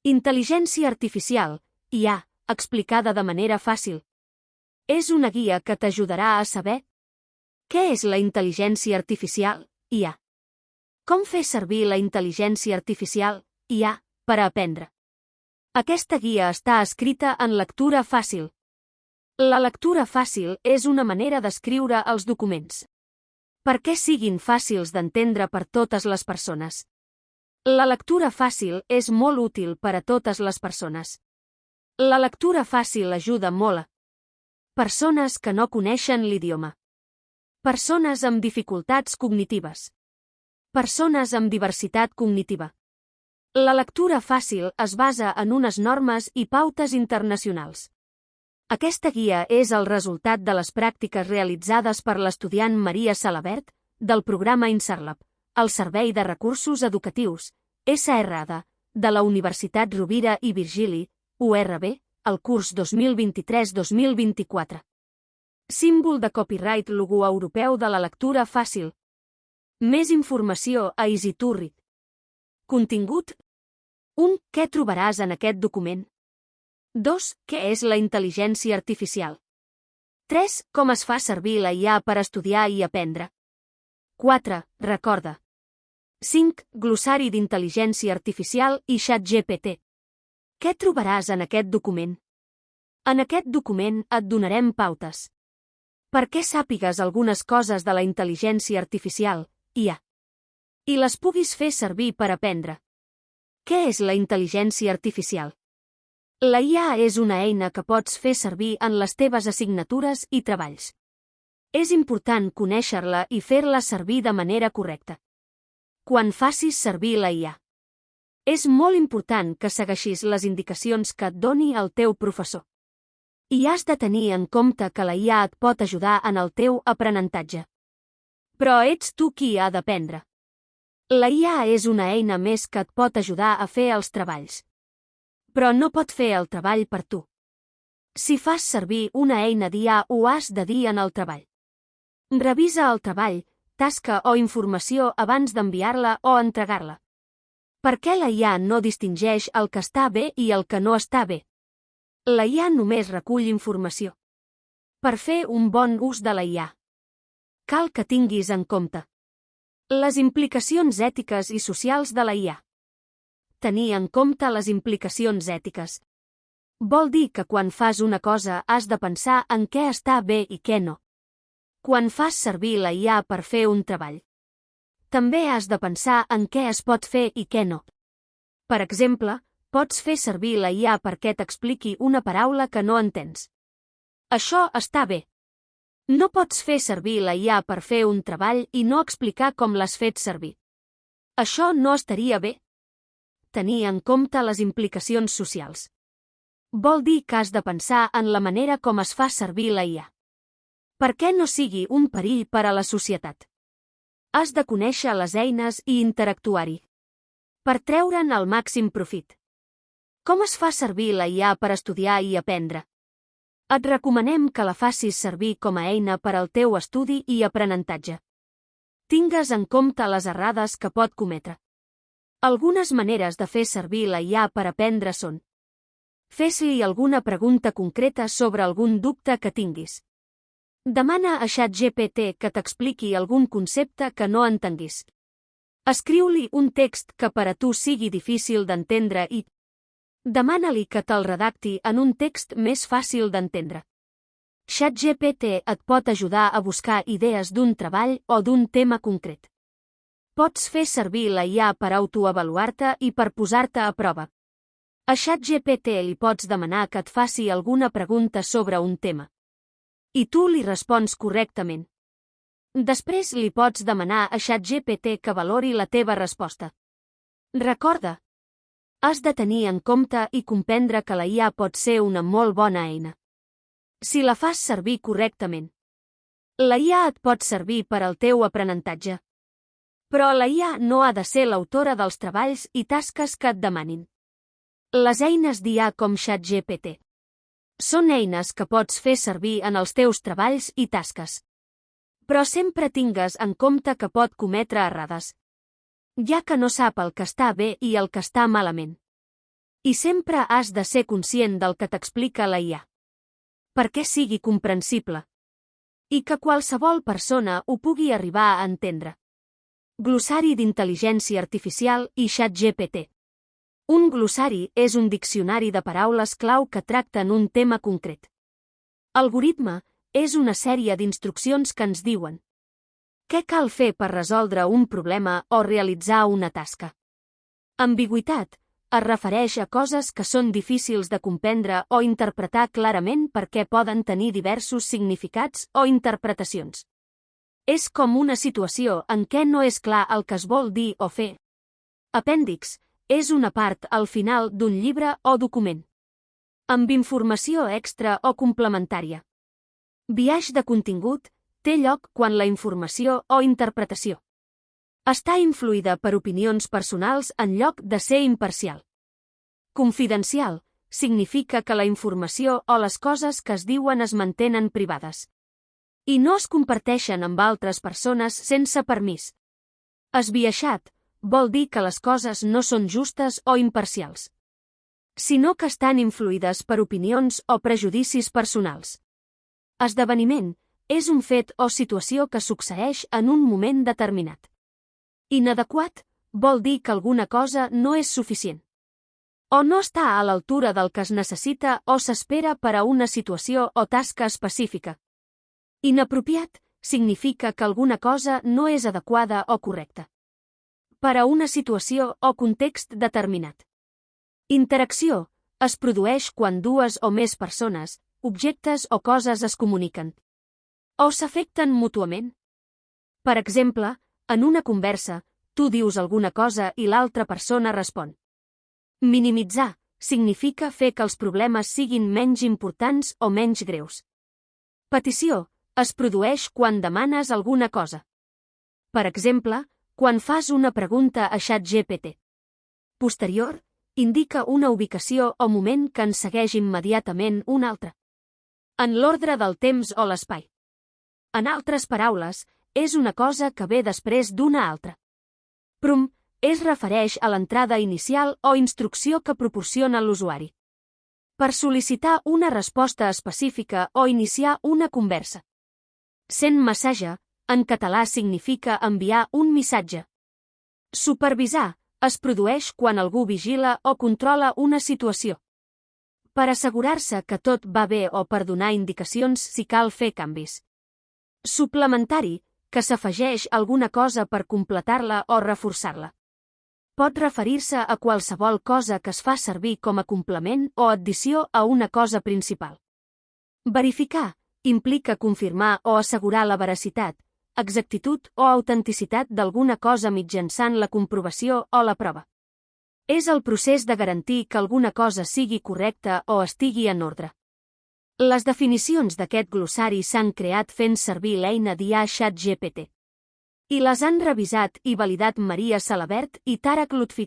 Intel·ligència artificial, IA, explicada de manera fàcil. És una guia que t'ajudarà a saber què és la intel·ligència artificial, IA. Com fer servir la intel·ligència artificial, IA, per a aprendre. Aquesta guia està escrita en lectura fàcil. La lectura fàcil és una manera d'escriure els documents. Perquè siguin fàcils d'entendre per totes les persones. La lectura fàcil és molt útil per a totes les persones. La lectura fàcil ajuda molt a persones que no coneixen l'idioma. Persones amb dificultats cognitives. Persones amb diversitat cognitiva. La lectura fàcil es basa en unes normes i pautes internacionals. Aquesta guia és el resultat de les pràctiques realitzades per l'estudiant Maria Salabert, del programa INSARLAB, el Servei de Recursos Educatius, SRAD, de la Universitat Rovira i Virgili, URB, el curs 2023-2024. Símbol de copyright logo europeu de la lectura fàcil. Més informació a EasyToRead. Contingut. 1. Què trobaràs en aquest document? 2. Què és la intel·ligència artificial? 3. Com es fa servir la IA per estudiar i aprendre? 4. Recorda. 5. Glossari d'intel·ligència artificial i ChatGPT. Què trobaràs en aquest document? En aquest document et donarem pautes. Perquè sàpigues algunes coses de la intel·ligència artificial, IA. I les puguis fer servir per aprendre. Què és la intel·ligència artificial? La IA és una eina que pots fer servir en les teves assignatures i treballs. És important conèixer-la i fer-la servir de manera correcta. Quan facis servir la IA. És molt important que segueixis les indicacions que et doni el teu professor. I has de tenir en compte que la IA et pot ajudar en el teu aprenentatge. Però ets tu qui ha d'aprendre. La IA és una eina més que et pot ajudar a fer els treballs. Però no pot fer el treball per tu. Si fas servir una eina d'IA ho has de dir en el treball. Revisa el treball, tasca o informació abans d'enviar-la o entregar-la. Per què la IA no distingeix el que està bé i el que no està bé? La IA només recull informació. Per fer un bon ús de la IA, cal que tinguis en compte les implicacions ètiques i socials de la IA. Tenir en compte les implicacions ètiques vol dir que quan fas una cosa has de pensar en què està bé i què no. Quan fas servir la IA per fer un treball, també has de pensar en què es pot fer i què no. Per exemple, pots fer servir la IA perquè t'expliqui una paraula que no entens. Això està bé. No pots fer servir la IA per fer un treball i no explicar com l'has fet servir. Això no estaria bé. Tenir en compte les implicacions socials vol dir que has de pensar en la manera com es fa servir la IA. Perquè no sigui un perill per a la societat. Has de conèixer les eines i interactuar-hi per treure'n el màxim profit. Com es fa servir la IA per estudiar i aprendre? Et recomanem que la facis servir com a eina per al teu estudi i aprenentatge. Tingues en compte les errades que pot cometre. Algunes maneres de fer servir la IA per aprendre són: fes-li alguna pregunta concreta sobre algun dubte que tinguis. Demana a ChatGPT que t'expliqui algun concepte que no entenguis. Escriu-li un text que per a tu sigui difícil d'entendre i demana-li que te'l redacti en un text més fàcil d'entendre. ChatGPT et pot ajudar a buscar idees d'un treball o d'un tema concret. Pots fer servir la IA per autoavaluar-te i per posar-te a prova. A ChatGPT li pots demanar que et faci alguna pregunta sobre un tema. I tu li respons correctament. Després li pots demanar a ChatGPT que valori la teva resposta. Recorda, has de tenir en compte i comprendre que la IA pot ser una molt bona eina. Si la fas servir correctament, la IA et pot servir per al teu aprenentatge. Però la IA no ha de ser l'autora dels treballs i tasques que et demanin. Les eines d'IA com ChatGPT són eines que pots fer servir en els teus treballs i tasques. Però sempre tingues en compte que pot cometre errades, ja que no sap el que està bé i el que està malament. I sempre has de ser conscient del que t'explica la IA. Perquè sigui comprensible. I que qualsevol persona ho pugui arribar a entendre. Glossari d'intel·ligència artificial i ChatGPT. Un glossari és un diccionari de paraules clau que tracten un tema concret. Algoritme és una sèrie d'instruccions que ens diuen què cal fer per resoldre un problema o realitzar una tasca. Ambigüitat es refereix a coses que són difícils de comprendre o interpretar clarament perquè poden tenir diversos significats o interpretacions. És com una situació en què no és clar el que es vol dir o fer. Apèndix és una part al final d'un llibre o document. Amb informació extra o complementària. Biaix de contingut té lloc quan la informació o interpretació està influïda per opinions personals en lloc de ser imparcial. Confidencial significa que la informació o les coses que es diuen es mantenen privades i no es comparteixen amb altres persones sense permís. Esbiaixat vol dir que les coses no són justes o imparcials, sinó que estan influïdes per opinions o prejudicis personals. Esdeveniment és un fet o situació que succeeix en un moment determinat. Inadequat vol dir que alguna cosa no és suficient o no està a l'altura del que es necessita o s'espera per a una situació o tasca específica. Inapropiat significa que alguna cosa no és adequada o correcta per a una situació o context determinat. Interacció es produeix quan dues o més persones, objectes o coses es comuniquen o s'afecten mútuament. Per exemple, en una conversa, tu dius alguna cosa i l'altra persona respon. Minimitzar significa fer que els problemes siguin menys importants o menys greus. Petició es produeix quan demanes alguna cosa. Per exemple, quan fas una pregunta a ChatGPT. Posterior, indica una ubicació o moment que en segueix immediatament un altre. En l'ordre del temps o l'espai. En altres paraules, és una cosa que ve després d'una altra. Prompt es refereix a l'entrada inicial o instrucció que proporciona l'usuari per sol·licitar una resposta específica o iniciar una conversa. Send message, en català significa enviar un missatge. Supervisar es produeix quan algú vigila o controla una situació per assegurar-se que tot va bé o per donar indicacions si cal fer canvis. Suplementari, que s'afegeix alguna cosa per completar-la o reforçar-la. Pot referir-se a qualsevol cosa que es fa servir com a complement o addició a una cosa principal. Verificar implica confirmar o assegurar la veracitat, exactitud o autenticitat d'alguna cosa mitjançant la comprovació o la prova. És el procés de garantir que alguna cosa sigui correcta o estigui en ordre. Les definicions d'aquest glossari s'han creat fent servir l'eina d'IA ChatGPT. I les han revisat i validat Maria Salabert i Tarak Lutfi.